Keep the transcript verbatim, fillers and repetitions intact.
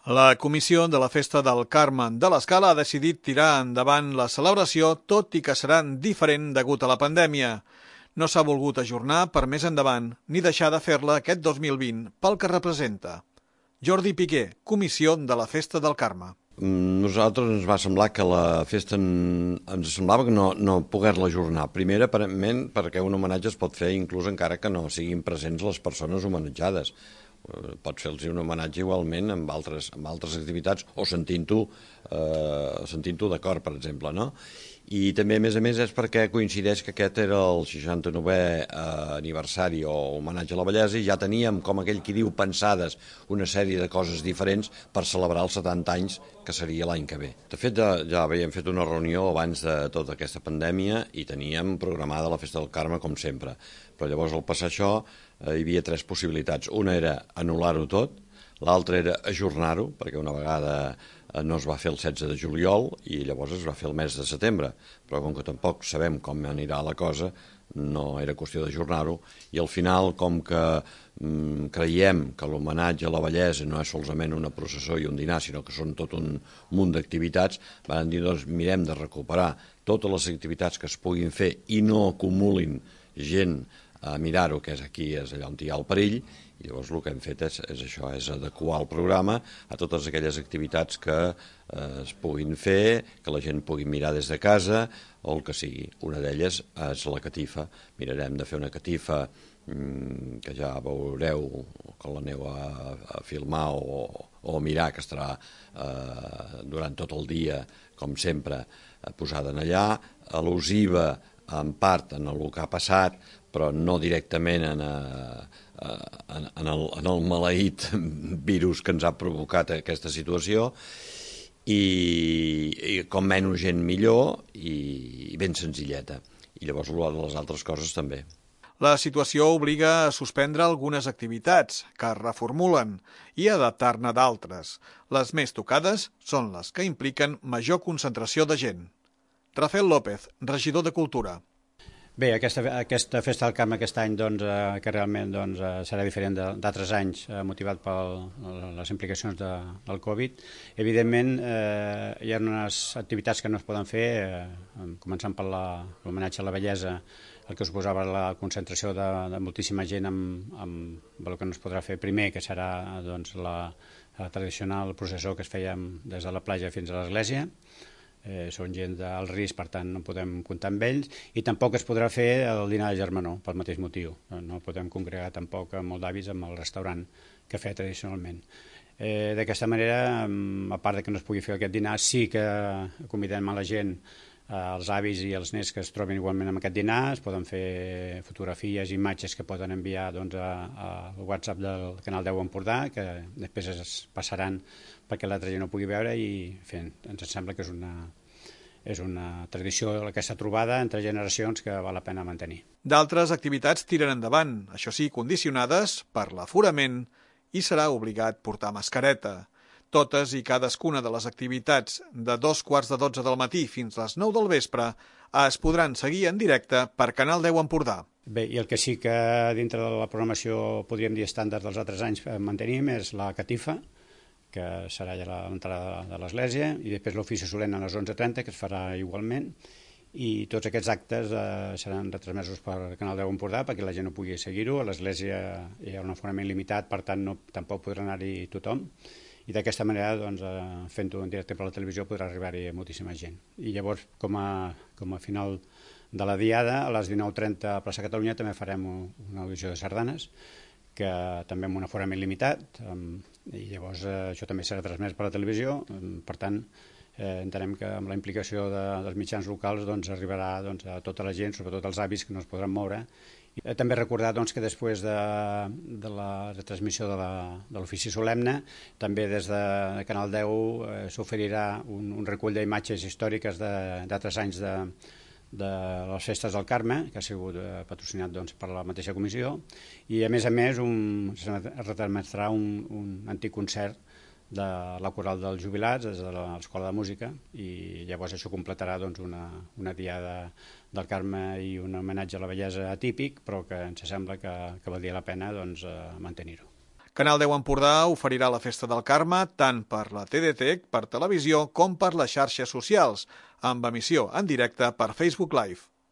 La comissió de la Festa del Carme de l'Escala ha decidit tirar endavant la celebració, tot i que serà diferent degut a la pandèmia. No s'ha volgut ajornar per més endavant ni deixar de fer-la aquest dos mil vint pel que representa. Jordi Piqué, comissió de la Festa del Carme. Nosaltres ens va semblar que la festa en, ens semblava que no, no poder-la ajornar. Primer, aparentment, perquè un homenatge es pot fer inclús encara que no siguin presents les persones homenatjades. Pots fer-los un homenatge igualment amb altres, amb altres activitats o sentint-ho eh, sentint-ho d'acord, per exemple, no? I també, a més a més, és perquè coincideix que aquest era el seixanta-novè eh, aniversari o homenatge a la bellesa i ja teníem, com aquell qui diu, pensades una sèrie de coses diferents per celebrar els setanta anys, que seria l'any que ve. De fet, ja, ja havíem fet una reunió abans de tota aquesta pandèmia i teníem programada la Festa del Carme, com sempre. Però llavors, al passar això, eh, hi havia tres possibilitats. Una era anul·lar-ho tot, l'altra era ajornar-ho, perquè una vegada no es va fer el setze de juliol i llavors es va fer el mes de setembre, però com que tampoc sabem com anirà la cosa, no era qüestió d'ajornar-ho, i al final, com que mm, creiem que l'homenatge a la bellesa no és solament una processó i un dinar, sinó que són tot un munt d'activitats, van dir, doncs, mirem de recuperar totes les activitats que es puguin fer i no acumulin gent a mirar-ho, que és aquí, és allà on hi ha el perill, i llavors el que hem fet és, és això, és adequar el programa a totes aquelles activitats que eh, es puguin fer, que la gent pugui mirar des de casa, o el que sigui. Una d'elles és la catifa. Mirarem de fer una catifa mmm, que ja veureu quan l'aneu a, a filmar o, o a mirar, que estarà eh, durant tot el dia, com sempre, posada en allà, al·lusiva en part en el que ha passat, però no directament en, en, en, el, en el maleït virus que ens ha provocat aquesta situació, i, i com menys gent millor i, i ben senzilleta. I llavors les altres coses també. La situació obliga a suspendre algunes activitats que es reformulen i adaptar-ne d'altres. Les més tocades són les que impliquen major concentració de gent. Rafael López, regidor de Cultura. Bé, aquesta, aquesta Festa del Carme aquest any, doncs, eh, que realment doncs, eh, serà diferent d'altres anys, eh, motivat per les implicacions de, del Covid. Evidentment, eh, hi ha unes activitats que no es poden fer, eh, començant per l'homenatge a la bellesa, el que suposava la concentració de, de moltíssima gent amb, amb el que no es podrà fer primer, que serà doncs, la, la tradicional processó que es feia des de la platja fins a l'església. Eh, són gent d'alt risc, per tant no podem comptar amb ells, i tampoc es podrà fer el dinar de germanor, pel mateix motiu. No podem congregar tampoc molt d'avis amb el restaurant que feia tradicionalment. Eh, D'aquesta manera, a part de que no es pugui fer aquest dinar, sí que convidem a la gent, els avis i els nens que es troben igualment amb aquest dinar, es poden fer fotografies, imatges que poden enviar doncs, al WhatsApp del Canal deu Empordà, que després es passaran perquè l'altra gent no pugui veure, i fent, ens sembla que és una, és una tradició, aquesta trobada entre generacions, que val la pena mantenir. D'altres activitats tiren endavant, això sí, condicionades per l'aforament, i serà obligat portar mascareta. Totes i cadascuna de les activitats de dos quarts de dotze del matí fins les nou del vespre es podran seguir en directe per Canal deu Empordà. Bé, i el que sí que dintre de la programació podríem dir estàndard dels altres anys mantenim és la catifa, que serà ja a l'entrada de l'església, i després l'ofici solemne a les onze trenta, que es farà igualment, i tots aquests actes eh, seran retransmesos per Canal deu Empordà perquè la gent no pugui seguir-ho. A l'església hi ha un aforament limitat, per tant no, tampoc podrà anar-hi tothom, i d'aquesta manera, doncs, eh, fent-ho en directe per la televisió, podrà arribar-hi moltíssima gent. I llavors, com a, com a final de la diada, a les dinou trenta a Plaça Catalunya també farem una audició de sardanes, que també amb un aforament limitat, i llavors eh, això també serà transmès per la televisió. Per tant, eh, entenem que amb la implicació de, dels mitjans locals doncs, arribarà doncs, a tota la gent, sobretot els avis que no es podran moure. I també recordar doncs, que després de, de la retransmissió de l'ofici solemne, també des de Canal deu eh, s'oferirà un, un recull d'imatges històriques d'altres anys de, de les festes del Carme, que ha sigut eh, patrocinat doncs, per la mateixa comissió, i a més a més un, es retransmetrà un, un antic concert de la Coral dels Jubilats des de l'Escola de Música, i llavors això completarà doncs, una, una diada del Carme i un homenatge a la bellesa atípic, però que ens sembla que, que valdria la pena doncs, mantenir-ho. Canal deu Empordà oferirà la Festa del Carme tant per la T D T, per televisió, com per les xarxes socials, amb emissió en directe per Facebook Live.